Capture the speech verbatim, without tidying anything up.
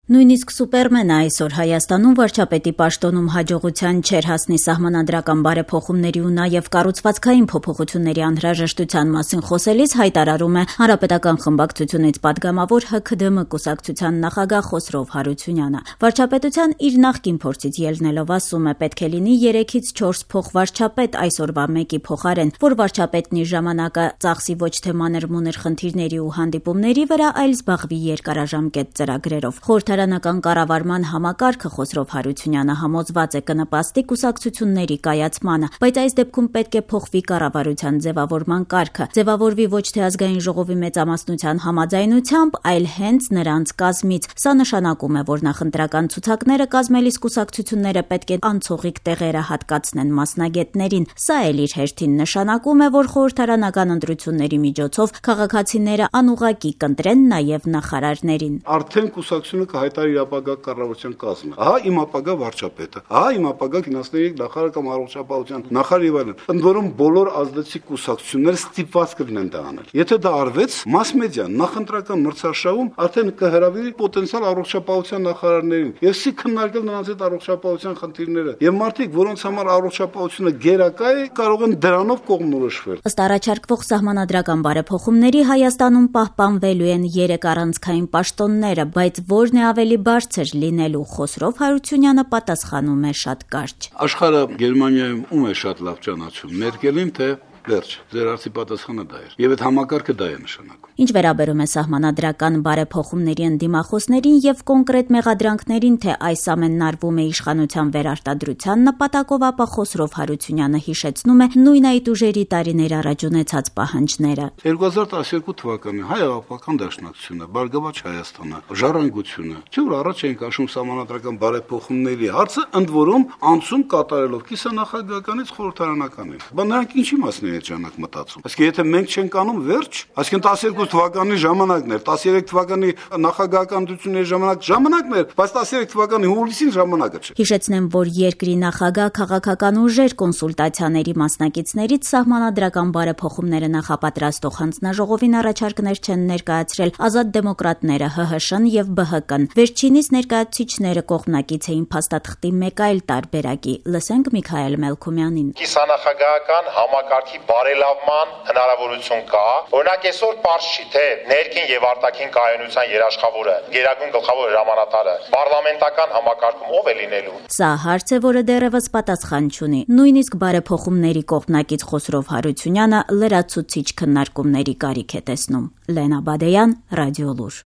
Նույնիսկ Սուպերմենը այսօր Հայաստանում վարչապետի պաշտոնում հաջողության չէր հասնի սահմանադրական բարեփոխումների ու նաև կառուցվածքային փոփոխությունների անհրաժեշտության մասին խոսելիս հայտարարում է Հանրապետական խմբակցությունից падգամավոր Հ K D M կուսակցության նախագահ Խոսրով Հարությունյանը։ Վարչապետության իր նախկին փորձից ելնելով ասում է, պետք է լինի երեքից չորս փոխվարչապետ այսօրվա մեկի փոխարեն, որ վարչապետն իր ժամանակը ծախսի ոչ թե մանր-մունր խնդիրների ու հանդիպումների վրա, այլ զբաղվի երկարաժամկետ ծրագրերով։ Խորհրդարանական կառավարման համակարգը Խոսրով Հարությունյանը համոզված է կնպաստի կուսակցությունների կայացմանը, բայց այս դեպքում պետք է փոխվի կառավարության ձևավորման կարգը, ձևավորվի ոչ թե ազգային ժողովի մեծամասնության համաձայնությամբ, այլ հենց նրանց կազմից։ Սա նշանակում է, որ նախընտրական ցուցակները կազմելիս կուսակցությունները պետք է անցողիկ տեղերը հատկացնեն մասնագետներին։ Սա էլ իր հերթին նշանակում է, որ խորհրդարանական ընտրությունների միջոցով քաղաքացիները անուղղակի կընտրեն նաև նախարարներին։ Արդեն կուսակցությունը կհայտարարի իր ապագա կառավարության կազմը։ Ահա իմ ապագա վարչապետը, ահա իմ ապագա ֆինանսների նախարար կամ առողջապահության նախարար եւ այլն։ Ընդ որում բոլոր ազդեցիկ կուսակցությունները ստիպված կլինեն դա անել։ Եթե դա արվեց, մաս մեդիան նախընտրական մրցաշավում արդեն կհրավիրի պոտենցիալ առողջապահության նախարարներին եւ սի քննարկել նրանց հետ առողջապահության խնդիրները։ Եվ մարդիկ, որոնց համար առողջապահությունը գերակա է, կարող են դրանով կողմնորոշվել։ Ըստ առաջարկվող սահմանադրական բարեփոխումների Հայաստանում պահպանվելու են երեք առանցքային պաշտոնները, բայց որն է ավելի բարձր լինելու, Խոսրով Հարությունյանը պատասխանում է շատ կարճ։ Աշխարհը Գերմանիայում ում է շատ լավ ճանաչում, Մերկելին թե վերջ, ձեր հարցի պատասխանը դա էր։ Եվ այդ համակարգը դա է նշանակում։ Ինչ վերաբերում է սահմանադրական բարեփոխումների ընդդիմախոսներին եւ կոնկրետ մեղադրանքներին, թե այս ամենն արվում է իշխանության վերարտադրության նպատակով, ապա Խոսրով Հարությունյանը հիշեցնում է նույն այդ ուժերի տարիներ առաջ ունեցած պահանջները։ երկու հազար տասներկու թվականին Հայ-Աղբական Դաշնակցությունը, Բարգավաճ Հայաստանը, Ժառանգությունը, չէ՞ որ առաջ էին քաշում սահմանադրական բարեփոխումների հարցը, ընդ որում անցում կատարելով կիսանախագահականից խորհրդարանականին։ Բայց նրանք ինչի մասն են ճանաք մտածում։ Այսինքն եթե մենք չենք անում վերջ, այսինքն տասներկու թվականի ժամանակն էր, տասներեք թվականի նախագահական ընտրությունների ժամանակ ժամանակն էր, բայց տասներեք թվականի հուլիսին ժամանակը չէ։ Հիշեցնեմ, որ երկրի նախագահ քաղաքական ուժեր կոնսուլտացիաների մասնակիցներից սահմանադրական բարեփոխումները նախապատրաստող հանձնաժողովին առաջարկներ չեն ներկայացրել Ազատ դեմոկրատները, Հ Հ Շ-ն եւ B H K-ն։ Վերջինիս ներկայացուցիչները կողմնակից էին փաստաթղթի մեկ այլ տարբերակի։ Լսենք Միքայել Մելքումյանին։ Կիսանախագահական համակարգի բարելավման հնարավորություն կա։ Օրինակ այսօր պարզ չի, թե ներքին եւ արտաքին կայունության երաշխավորը, գերագույն գլխավոր հրամանատարը պարլամենտական համակարգում ով է լինելու։ Սա հարց է, որը դեռևս պատասխան չունի։ Նույնիսկ բարեփոխումների կողմնակից Խոսրով Հարությունյանը լրացուցիչ քննարկումների կարիք է տեսնում։ Լենա Բադեյան, Ռադիոլուր։